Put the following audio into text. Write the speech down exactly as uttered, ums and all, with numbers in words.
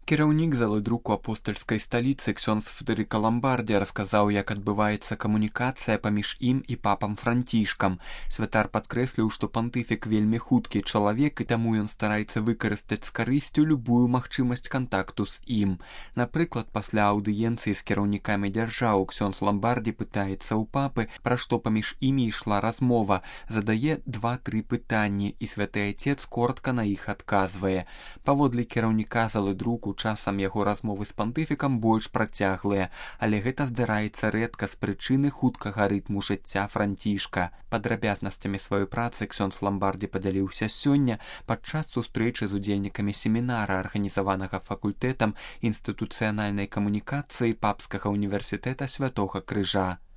Кіраўнік залы друку апостальскай сталіцы ксёндз Федэрыка Ламбардзі расказаў, як адбываецца камунікацыя паміж ім і папам Францішкам. Святар падкрэсліў, што пантыфік вельмі хуткі чалавек, і таму ён стараецца выкарыстаць з карысцю любую магчымасць кантакту з ім. Напрыклад, пасля аўдыенцыі з кіраўнікамі дзяржаў ксёндз Ламбардзі пытаецца ў папы, пра што паміж імі ішла размова, задае два-тры пытанні, і святы айцец коротка на іх адказвае. Паводле кіраўніка залы друку часам яго размовы з пантыфікам больш працяглыя, але гэта здараецца рэдка з прычыны хуткага рытму жыцця Францішка. Падрабязнасцямі сваёй працы ксёндз Ламбардзі падзяліўся сёння падчас сустрэчы з удзельнікамі семінара, арганізаванага факультэтам інстытуцыянальнай камунікацыі Папскага універсітэта Святога Крыжа.